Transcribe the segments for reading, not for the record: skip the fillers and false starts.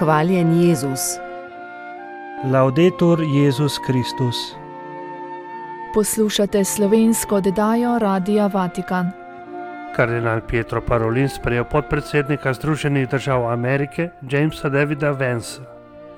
Hvaljen Jezus. Laudetur Jezus Kristus. Poslušate slovensko oddajo Radia Vatikan. Kardinal Pietro Parolin sprejel podpredsednika Združenih držav Amerike, Jamesa Davida Vansa.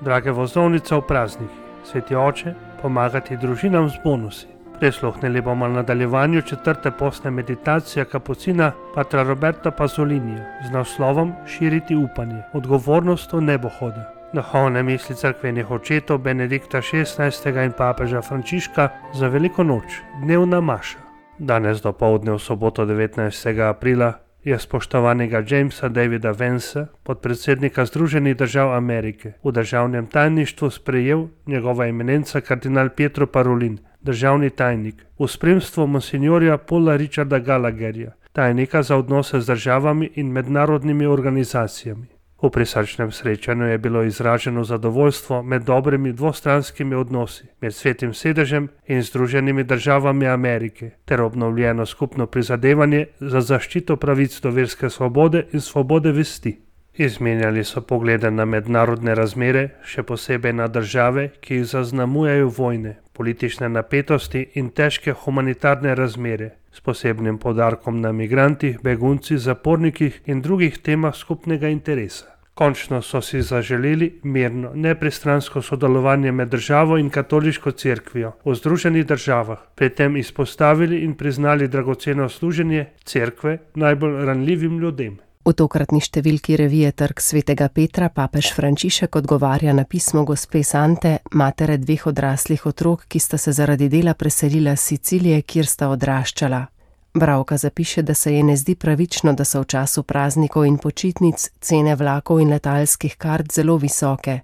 Drage vozovnice v praznikih, sveti oče, pomagati družinam z bonusi. Prisluhnili bomo nadaljevanju 4. postne meditacije kapucina patra Roberta Pazzolinija z naslovom Širiti upanje, odgovornost v nebohoda. Duhovne misli cerkvenih očetov Benedikta XVI. In papeža Frančiška za veliko noč, dnevna maša. Danes dopoldne v soboto 19. aprila je spoštovanega Jamesa Davida Vansa, podpredsednika Združenih držav Amerike, v državnem tajništvu sprejel njegova eminenca kardinal Pietro Parolin, državni tajnik, v spremstvu monsinjorja Paula Richarda Gallagherja, tajnika za odnose z državami in mednarodnimi organizacijami. V prisrčnem srečanju je bilo izraženo zadovoljstvo med dobrimi dvostranskimi odnosi med Svetim sedežem in Združenimi državami Amerike ter obnovljeno skupno prizadevanje za zaščito pravic do verske svobode in svobode vesti. Izmenjali so poglede na mednarodne razmere, še posebej na države, ki jih zaznamujejo vojne, politične napetosti in težke humanitarne razmere, s posebnim poudarkom na migrantih, beguncih, zapornikih in drugih temah skupnega interesa. Končno so si zaželeli mirno, nepristransko sodelovanje med državo in katoliško cerkvijo v Združenih državah, pri tem izpostavili in priznali dragoceno služenje cerkve najbolj ranljivim ljudem. V tokratni številki revije Trg svetega Petra papež Frančišek odgovarja na pismo gospe Sante, matere 2 odraslih otrok, ki sta se zaradi dela preselila s Sicilije, kjer sta odraščala. Bralka zapiše, da se je ne zdi pravično, da so v času praznikov in počitnic cene vlakov in letalskih kart zelo visoke.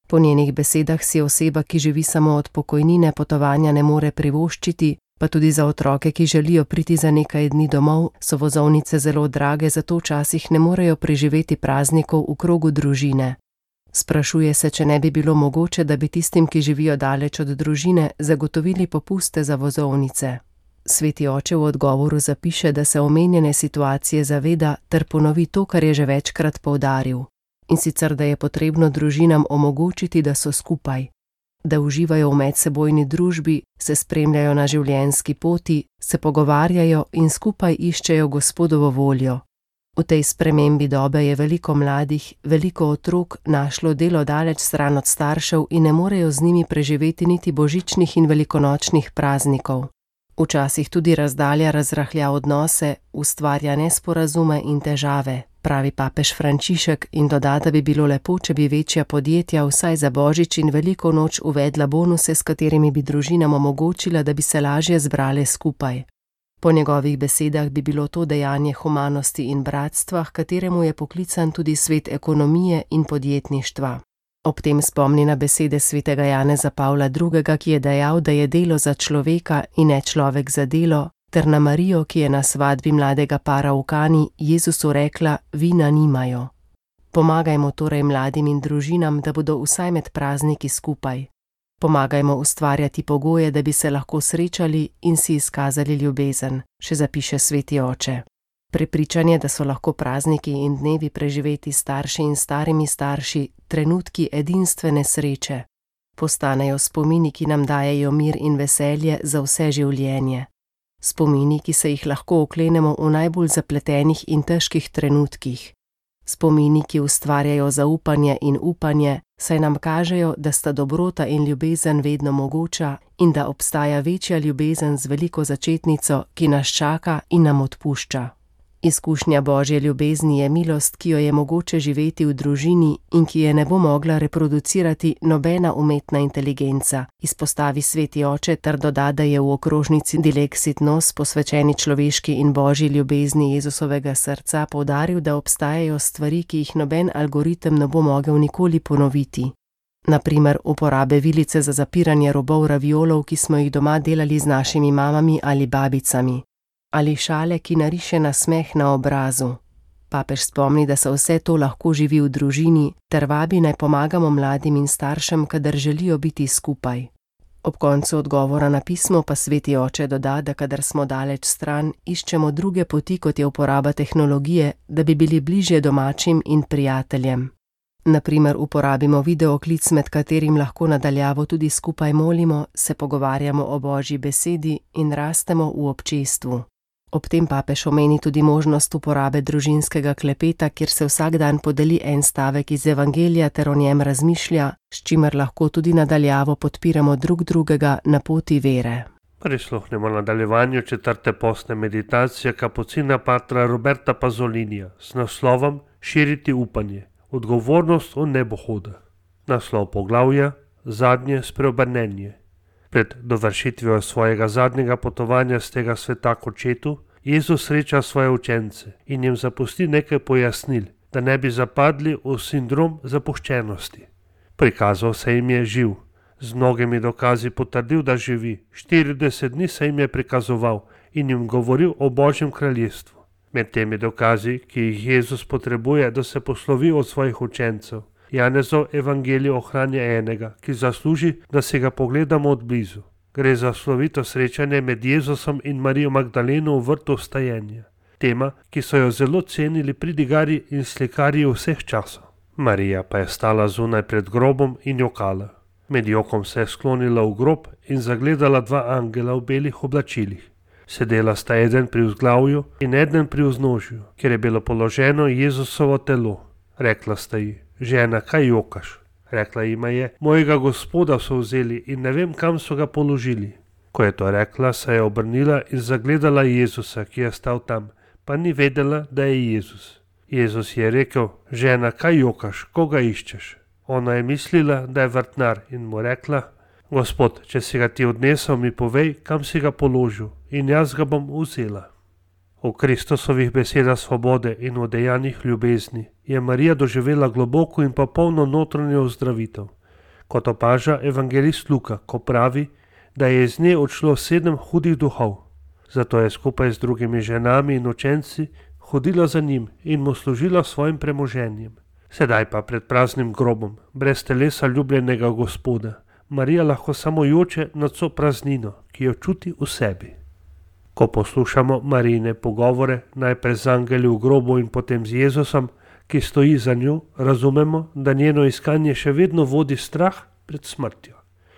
Po njenih besedah si oseba, ki živi samo od pokojnine, potovanja ne more privoščiti, pa tudi za otroke, ki želijo priti za nekaj dni domov, so vozovnice zelo drage, zato včasih ne morejo preživeti praznikov v krogu družine. Sprašuje se, če ne bi bilo mogoče, da bi tistim, ki živijo daleč od družine, zagotovili popuste za vozovnice. Sveti oče v odgovoru zapiše, da se omenjene situacije zaveda ter ponovi to, kar je že večkrat poudaril. In sicer, da je potrebno družinam omogočiti, da so skupaj, da uživajo v medsebojni družbi, se spremljajo na življenjski poti, se pogovarjajo in skupaj iščejo Gospodovo voljo. V tej spremembi dobe je veliko mladih, veliko otrok našlo delo daleč stran od staršev in ne morejo z njimi preživeti niti božičnih in velikonočnih praznikov. Včasih tudi razdalja razrahlja odnose, ustvarja nesporazume in težave, pravi papež Frančišek in doda, da bi bilo lepo, če bi večja podjetja vsaj za božič in veliko noč uvedla bonuse, s katerimi bi družinam omogočila, da bi se lažje zbrale skupaj. Po njegovih besedah bi bilo to dejanje humanosti in bratstva, h kateremu je poklican tudi svet ekonomije in podjetništva. Ob tem spomni na besede svetega Janeza Pavla II., ki je dejal, da je delo za človeka in ne človek za delo, ter na Marijo, ki je na svadbi mladega para v Kani Jezusu rekla: vina nimajo. Pomagajmo torej mladim in družinam, da bodo vsaj med prazniki skupaj. Pomagajmo ustvarjati pogoje, da bi se lahko srečali in si izkazali ljubezen, še zapiše sveti oče. Prepričanje, da so lahko prazniki in dnevi preživeti starši in starimi starši, trenutki edinstvene sreče. Postanejo spomini, ki nam dajejo mir in veselje za vse življenje. Spomini, ki se jih lahko oklenemo v najbolj zapletenih in težkih trenutkih. Spomini, ki ustvarjajo zaupanje in upanje, saj nam kažejo, da sta dobrota in ljubezen vedno mogoča in da obstaja večja ljubezen z veliko začetnico, ki nas čaka in nam odpušča. Izkušnja Božje ljubezni je milost, ki jo je mogoče živeti v družini in ki je ne bo mogla reproducirati nobena umetna inteligenca, izpostavi sveti oče ter doda, da je v okrožnici Dilexit Nos, posvečeni človeški in Božji ljubezni Jezusovega srca, poudaril, da obstajajo stvari, ki jih noben algoritem ne bo mogel nikoli ponoviti. Na primer, uporabe vilice za zapiranje robov raviolov, ki smo jih doma delali z našimi mamami ali babicami. Ali šale, ki nariše nasmeh na obrazu. Papež spomni, da se vse to lahko živi v družini, ter vabi naj pomagamo mladim in staršem, kadar želijo biti skupaj. Ob koncu odgovora na pismo pa sveti oče doda, da kadar smo daleč stran, iščemo druge poti, kot je uporaba tehnologije, da bi bili bližje domačim in prijateljem. Naprimer uporabimo videoklic, med katerim lahko nadaljavo tudi skupaj molimo, se pogovarjamo o Božji besedi in rastemo v občestvu. Ob tem papež omeni tudi možnost uporabe družinskega klepeta, kjer se vsak dan podeli en stavek iz Evangelija ter o njem razmišlja, s čimer lahko tudi nadaljavo podpiramo drug drugega na poti vere. Prisluhnemo nadaljevanju 4. postne meditacije kapucina patra Roberta Pazolinija s naslovom Širiti upanje, odgovornost v nebohoda. Naslov poglavja Zadnje spreobrnenje. Pred dovršitvijo svojega zadnjega potovanja z tega sveta k očetu, Jezus sreča svoje učence in jim zapusti nekaj pojasnil, da ne bi zapadli v sindrom zapuščenosti. Prikazal se jim je živ, z mnogimi dokazi potrdil, da živi. 40 dni se jim je prikazoval in jim govoril o Božjem kraljestvu. Med temi dokazi, ki jih Jezus potrebuje, da se poslovi od svojih učencev, Janezov evangelij ohranja enega, ki zasluži, da si ga pogledamo od blizu. Gre za slovito srečanje med Jezusom in Marijo Magdaleno v vrtu vstajenja. Tema, ki so jo zelo cenili pridigarji in slikarji vseh časov. Marija pa je stala zunaj pred grobom in jokala. Med jokom se je sklonila v grob in zagledala dva angela v belih oblačilih. Sedela sta eden pri vzglavju in eden pri vznožju, kjer je bilo položeno Jezusovo telo. Rekla sta ji: Žena, kaj jokaš? Rekla jima je: Mojega Gospoda so vzeli in ne vem, kam so ga položili. Ko je to rekla, se je obrnila in zagledala Jezusa, ki je stal tam, pa ni vedela, da je Jezus. Jezus je rekel: Žena, kaj jokaš, koga iščeš? Ona je mislila, da je vrtnar in mu rekla: Gospod, če si ga ti odnesel, mi povej, kam si ga položil in jaz ga bom vzela. V Kristusovih besedah svobode in v dejanjih ljubezni je Marija doživela globoko in popolno notranjo ozdravitev. Kot opaža evangelist Luka, ko pravi, da je iz nje odšlo 7 hudih duhov. Zato je skupaj z drugimi ženami in učenci hodila za njim in mu služila svojim premoženjem. Sedaj pa pred praznim grobom, brez telesa ljubljenega Gospoda, Marija lahko samo joče nad vso praznino, ki jo čuti v sebi. Ko poslušamo Marijine pogovore, najprej z angeli v grobu in potem z Jezusom, ki stoji za njo, razumemo, da njeno iskanje še vedno vodi strah pred smrtjo.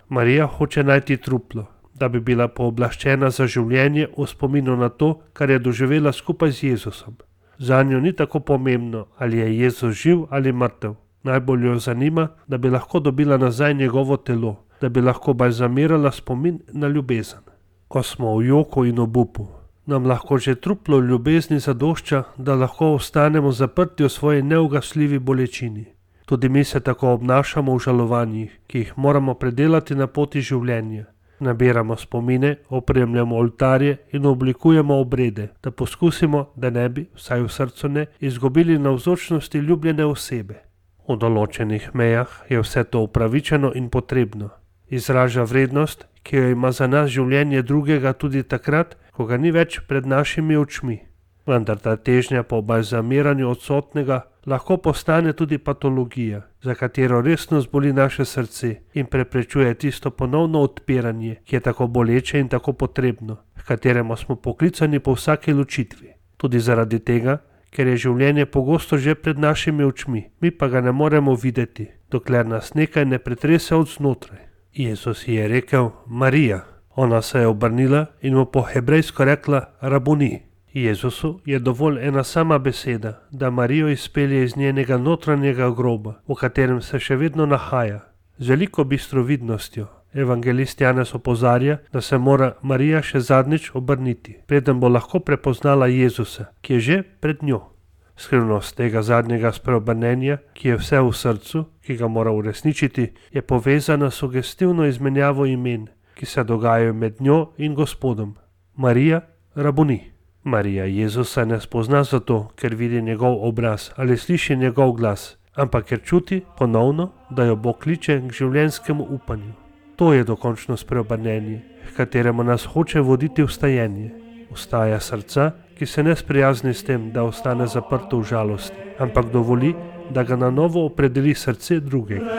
Marija hoče najti truplo, da bi bila pooblaščena za življenje v spominu na to, kar je doživela skupaj z Jezusom. Zanjo ni tako pomembno, ali je Jezus živ ali mrtev. Najbolj jo zanima, da bi lahko dobila nazaj njegovo telo, da bi lahko balzamirala spomin na ljubezen. Ko smo v joku in obupu, nam lahko že truplo ljubezni zadošča, da lahko ostanemo zaprti v svoji neugasljivi bolečini. Tudi mi se tako obnašamo v žalovanjih, ki jih moramo predelati na poti življenja. Nabiramo spomine, opremljamo oltarje in oblikujemo obrede, da poskusimo, da ne bi, vsaj v srcu ne, izgubili navzočnosti ljubljene osebe. V določenih mejah je vse to upravičeno in potrebno. Izraža vrednost, ki jo ima za nas življenje drugega tudi takrat, ko ga ni več pred našimi očmi. Vendar ta težnja po balzamiranju odsotnega lahko postane tudi patologija, za katero resno zboli naše srce in preprečuje tisto ponovno odpiranje, ki je tako boleče in tako potrebno, h kateremu smo poklicani po vsaki ločitvi. Tudi zaradi tega, ker je življenje pogosto že pred našimi očmi, mi pa ga ne moremo videti, dokler nas nekaj ne pretrese od znotraj. Jezus ji je rekel: Marija. Ona se je obrnila in mu po hebrejsko rekla: Rabuni. Jezusu je dovolj ena sama beseda, da Marijo izpelje iz njenega notranjega groba, v katerem se še vedno nahaja. Z veliko bistrovidnostjo evangelist Janez opozarja, da se mora Marija še zadnjič obrniti, preden bo lahko prepoznala Jezusa, ki je že pred njo. Skrivnost tega zadnjega spreobrnenja, ki je vse v srcu, ki ga mora uresničiti, je povezana s sugestivno izmenjavo imen, ki se dogajajo med njo in Gospodom. Marija, Rabuni. Marija Jezusa ne spozna zato, ker vidi njegov obraz ali sliši njegov glas, ampak ker čuti ponovno, da jo Bog kliče k življenjskemu upanju. To je dokončno spreobrnenje, h kateremu nas hoče voditi vstajenje. Vstaja srca, ki se ne sprijazni s tem, da ostane zaprto v žalosti, ampak dovoli, da ga na novo opredeli srce drugega.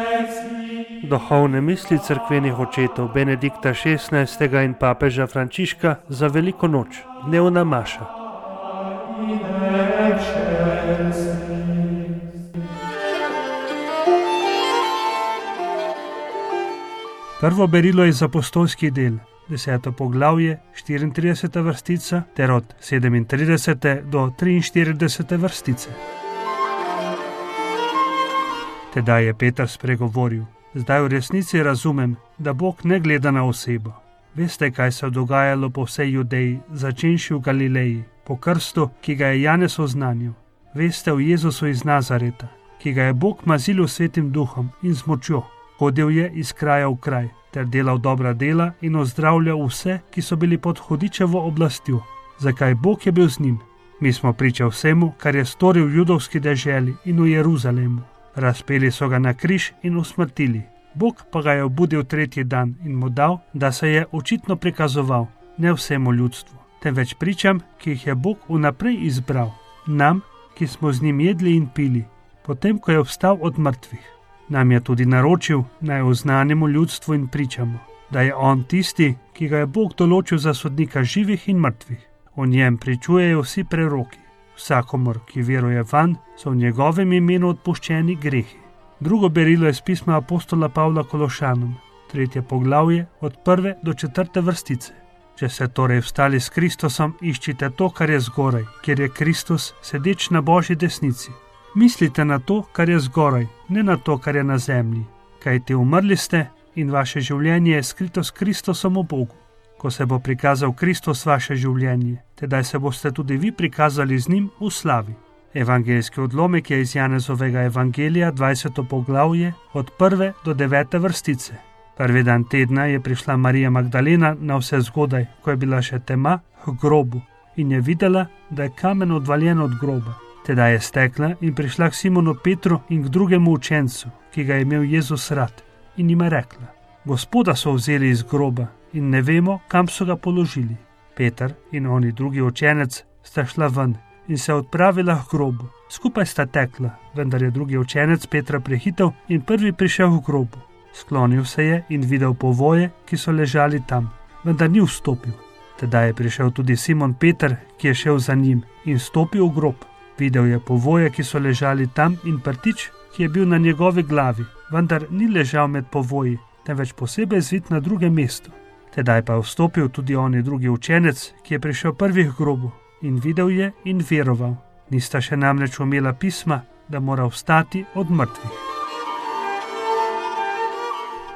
Duhovne misli cerkvenih očetov Benedikta XVI. In papeža Frančiška za veliko noč, dnevna maša. Prvo berilo je iz apostolskih del, 10. poglavje, 34. vrstica ter od 37. do 43. vrstice. Tedaj je Peter spregovoril: zdaj v resnici razumem, da Bog ne gleda na osebo. Veste, kaj se je dogajalo po vsej Judeji, začenši v Galileji, po krstu, ki ga je Janez oznanil. Veste o Jezusu iz Nazareta, ki ga je Bog mazil svetim duhom in z močjo. Hodil je iz kraja v kraj, ter delal dobra dela in ozdravljal vse, ki so bili pod hudičevo oblastjo. Zakaj? Bog je bil z njim. Mi smo priča vsemu, kar je storil v judovski deželi in v Jeruzalemu. Razpeli so ga na križ in usmrtili. Bog pa ga je obudil tretji dan in mu dal, da se je očitno prikazoval, ne vsemu ljudstvu, temveč pričam, ki jih je Bog vnaprej izbral, nam, ki smo z njim jedli in pili, potem ko je vstal od mrtvih. Nam je tudi naročil, naj oznanimo ljudstvu in pričamo, da je on tisti, ki ga je Bog določil za sodnika živih in mrtvih. O njem pričujejo vsi preroki. Vsakomur, ki veruje vanj, so v njegovem imenu odpuščeni grehi. Drugo berilo je iz pisma apostola Pavla Kološanom, 3. poglavje, od 1. do 4. vrstice. Če ste torej vstali s Kristusom, iščite to, kar je zgoraj, kjer je Kristus, sedeč na Božji desnici. Mislite na to, kar je zgoraj, ne na to, kar je na zemlji. Kajti umrli ste in vaše življenje je skrito s Kristusom v Bogu. Ko se bo prikazal Kristus vaše življenje, tedaj se boste tudi vi prikazali z njim v slavi. Evangeljski odlomek je iz Janezovega evangelija, 20. poglavje, od 1. do 9. vrstice. Prvi dan tedna je prišla Marija Magdalena na vse zgodaj, ko je bila še tema, k grobu in je videla, da je kamen odvaljen od groba. Tedaj je stekla in prišla k Simonu Petru in k drugemu učencu, ki ga je imel Jezus rad, in jim je rekla: Gospoda so vzeli iz groba in ne vemo, kam so ga položili. Peter in oni drugi učenec sta šla ven in se odpravila k grobu. Skupaj sta tekla, vendar je drugi učenec Petra prehitel in prvi prišel v grobu. Sklonil se je in videl povoje, ki so ležali tam, vendar ni vstopil. Tedaj je prišel tudi Simon Peter, ki je šel za njim, in stopil v grob. Videl je povoje, ki so ležali tam, in prtič, ki je bil na njegovi glavi, vendar ni ležal med povoji, temveč posebej zvit na drugem mestu. Tedaj pa je vstopil tudi oni drugi učenec, ki je prišel prvi k grobu, in videl je in veroval. Nista še namreč umela pisma, da mora vstati od mrtvih.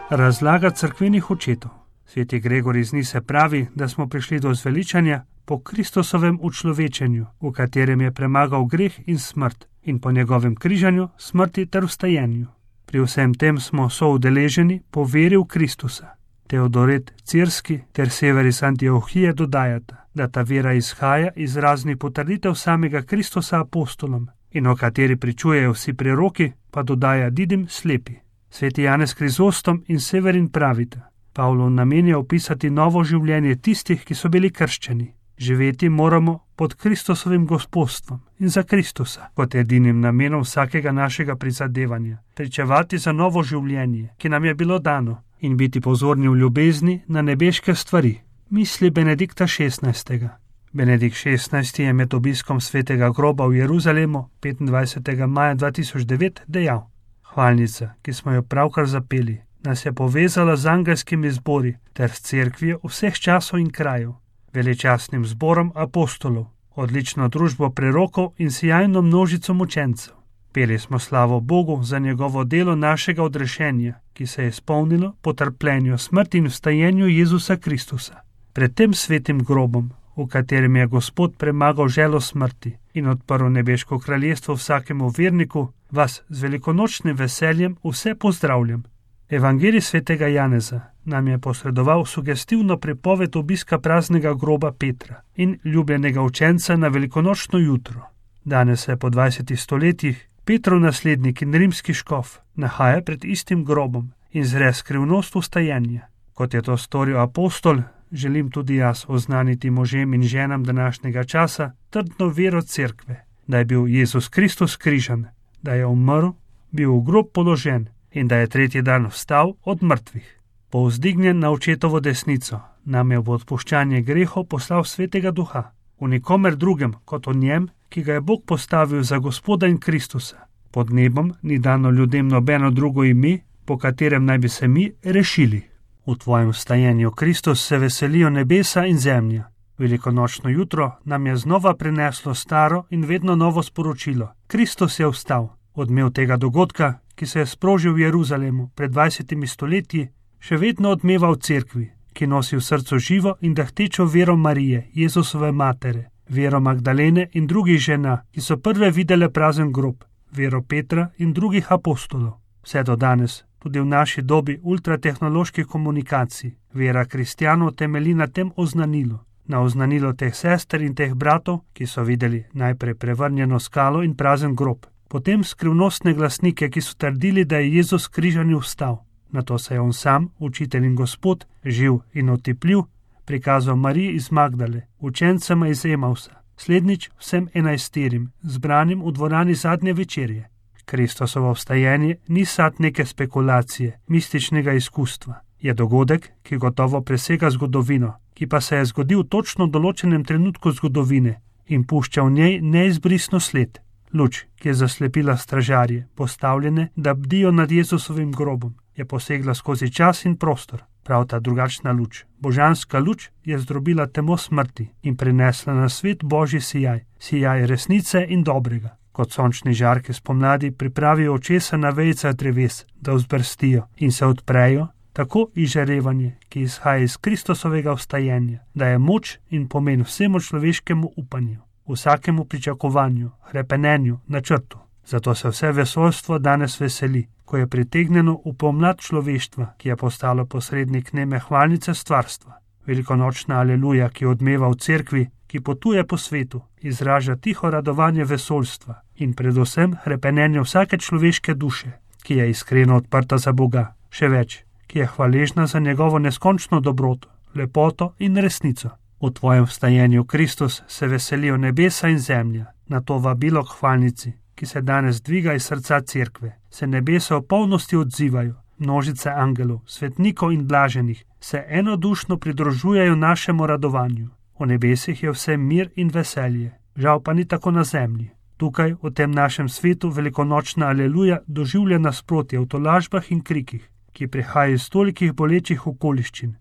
Razlaga cerkvenih očetov. Sveti Gregor iz Nise pravi, da smo prišli do zveličanja po Kristusovem učlovečenju, v katerem je premagal greh in smrt, in po njegovem križanju, smrti ter vstajenju. Pri vsem tem smo soudeleženi po veri v Kristusa. Teodoret Cirski ter Severis Antiohije dodajata, da ta vera izhaja iz raznih potrditev samega Kristusa apostolom, in o kateri pričujejo vsi preroki, pa dodaja Didim slepi. Sveti Janez Krizostom in Severin pravita: Pavlov namen je opisati novo življenje tistih, ki so bili krščeni. Živeti moramo pod Kristusovim gospodstvom in za Kristusa, kot edinim namenom vsakega našega prizadevanja, pričevati za novo življenje, ki nam je bilo dano, in biti pozorni v ljubezni na nebeške stvari. Misli Benedikta XVI. Benedikt XVI je med obiskom svetega groba v Jeruzalemu 25. maja 2009 dejal: Hvalnica, ki smo jo pravkar zapeli, nas je povezala z angelskimi zbori ter s cerkvijo vseh časov in krajev, veličastnim zborom apostolov, odlično družbo prerokov in sijajno množico mučencev. Peli smo slavo Bogu za njegovo delo našega odrešenja, ki se je izpolnilo po trpljenju, smrti in vstajenju Jezusa Kristusa. Pred tem svetim grobom, v katerem je Gospod premagal želo smrti in odprl nebeško kraljestvo vsakemu verniku, vas z velikonočnim veseljem vse pozdravljam. Evangelij svetega Janeza nam je posredoval sugestivno pripoved obiska praznega groba Petra in ljubljenega učenca na velikonočno jutro. Danes se po 20 stoletjih Petrov naslednik in rimski škof nahaja pred istim grobom in zre skrivnost vstajenja. Kot je to storil apostol, želim tudi jaz oznaniti možem in ženam današnjega časa trdno vero cerkve, da je bil Jezus Kristus križan, da je umrl, bil v grob položen in da je tretji dan vstal od mrtvih. Povzdignjen na očetovo desnico, nam je v odpuščanje grehov poslal svetega duha, v nikomer drugem kot o njem, ki ga je Bog postavil za Gospoda in Kristusa. Pod nebom ni dano ljudem nobeno drugo ime, po katerem naj bi se mi rešili. V tvojem vstajenju, Kristus, se veselijo nebesa in zemlja. Velikonočno jutro nam je znova prineslo staro in vedno novo sporočilo. Kristus je vstal. Odmev tega dogodka, ki se je sprožil v Jeruzalemu pred 20 stoletji, še vedno odmeva v cerkvi, ki nosi v srcu živo in dahtečo vero Marije, Jezusove matere, vero Magdalene in drugih žena, ki so prve videle prazen grob, vero Petra in drugih apostolov. Vse do danes, tudi v naši dobi ultratehnoloških komunikacij, vera kristjanov temelji na tem oznanilu. Na oznanilo teh sester in teh bratov, ki so videli najprej prevrnjeno skalo in prazen grob, potem skrivnostne glasnike, ki so trdili, da je Jezus križani vstal. Nato se je on sam, učitelj in Gospod, živ in otipljiv, prikazal Mariji iz Magdale, učencema iz Emausa, slednjič vsem 11, zbranim v dvorani zadnje večerje. Kristusovo vstajenje ni sad neke spekulacije, mističnega izkustva. Je dogodek, ki gotovo presega zgodovino, ki pa se je zgodil v točno določenem trenutku zgodovine in pušča v njej neizbrisno sled. Luč, ki je zaslepila stražarje, postavljene, da bdijo nad Jezusovim grobom, je posegla skozi čas in prostor. Prav ta drugačna luč, božanska luč, je zdrobila temo smrti in prinesla na svet Božji sijaj, sijaj resnice in dobrega. Kot sončni žarki spomladi pripravijo očesa na vejicah dreves, da vzbrstijo in se odprejo, tako izžarevanje, ki izhaja iz Kristusovega vstajenja, daje moč in pomen vsemu človeškemu upanju, vsakemu pričakovanju, hrepenenju, načrtu. Zato se vse vesoljstvo danes veseli, ko je pritegnjeno v pomlad človeštva, ki je postalo posrednik neme hvalnice stvarstva. Velikonočna aleluja, ki odmeva v cerkvi, ki potuje po svetu, izraža tiho radovanje vesoljstva in predvsem hrepenenje vsake človeške duše, ki je iskreno odprta za Boga, še več, ki je hvaležna za njegovo neskončno dobroto, lepoto in resnico. V tvojem vstajenju, Kristus, se veselijo nebesa in zemlja. Na to vabilo k hvalnici, ki se danes dviga iz srca cerkve, se nebesa v polnosti odzivajo. Množice angelov, svetnikov in blaženih se enodušno pridružujejo našemu radovanju. V nebesih je vse mir in veselje, žal pa ni tako na zemlji. Tukaj, v tem našem svetu, velikonočna aleluja doživlja nasprotje v tolažbah in krikih, ki prihajajo iz tolikih bolečih okoliščin,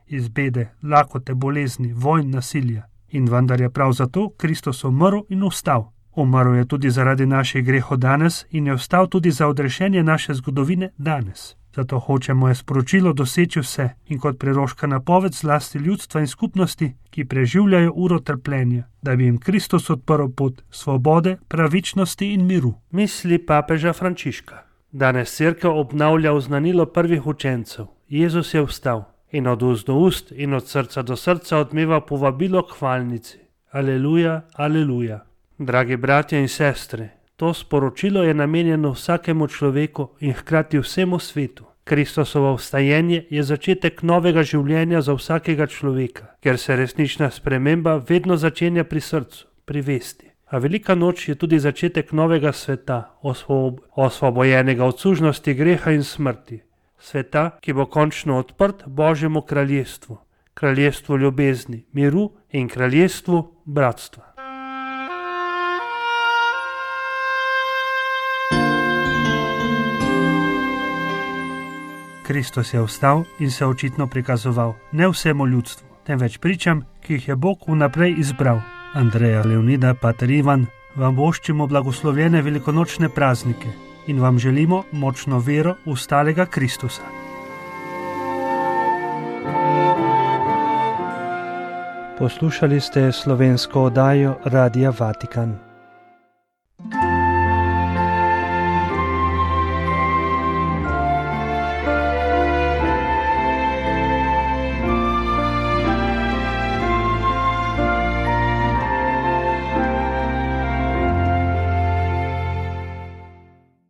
iz bede, lakote, bolezni, vojn, nasilja. In vendar je prav zato Kristus umrl in vstal. Umrl je tudi zaradi naših grehov danes in je vstal tudi za odrešenje naše zgodovine danes. Zato hoče moje sporočilo doseči vse in kot preroška napoved zlasti ljudstva in skupnosti, ki preživljajo uro trpljenja, da bi jim Kristus odprl pot svobode, pravičnosti in miru. Misli papeža Frančiška. Danes cerkev obnavlja oznanilo prvih učencev. Jezus je vstal in od ust do ust in od srca do srca odmeva povabilo k hvalnici. Aleluja, aleluja. Dragi bratje in sestre, to sporočilo je namenjeno vsakemu človeku in hkrati vsemu svetu. Kristusovo vstajenje je začetek novega življenja za vsakega človeka, ker se resnična sprememba vedno začenja pri srcu, pri vesti. A velika noč je tudi začetek novega sveta, osvobojenega od sužnosti greha in smrti. Sveta, ki bo končno odprt Božjemu kraljestvu, kraljestvu ljubezni, miru in kraljestvu bratstva. Kristus je vstal in se očitno prikazoval ne vsemu ljudstvu, temveč pričam, ki jih je Bog vnaprej izbral. Andreja, Leonida, pater Ivan, vam voščimo blagoslovljene velikonočne praznike in vam želimo močno vero v vstalega Kristusa. Poslušali ste slovensko oddajo Radia Vatikan.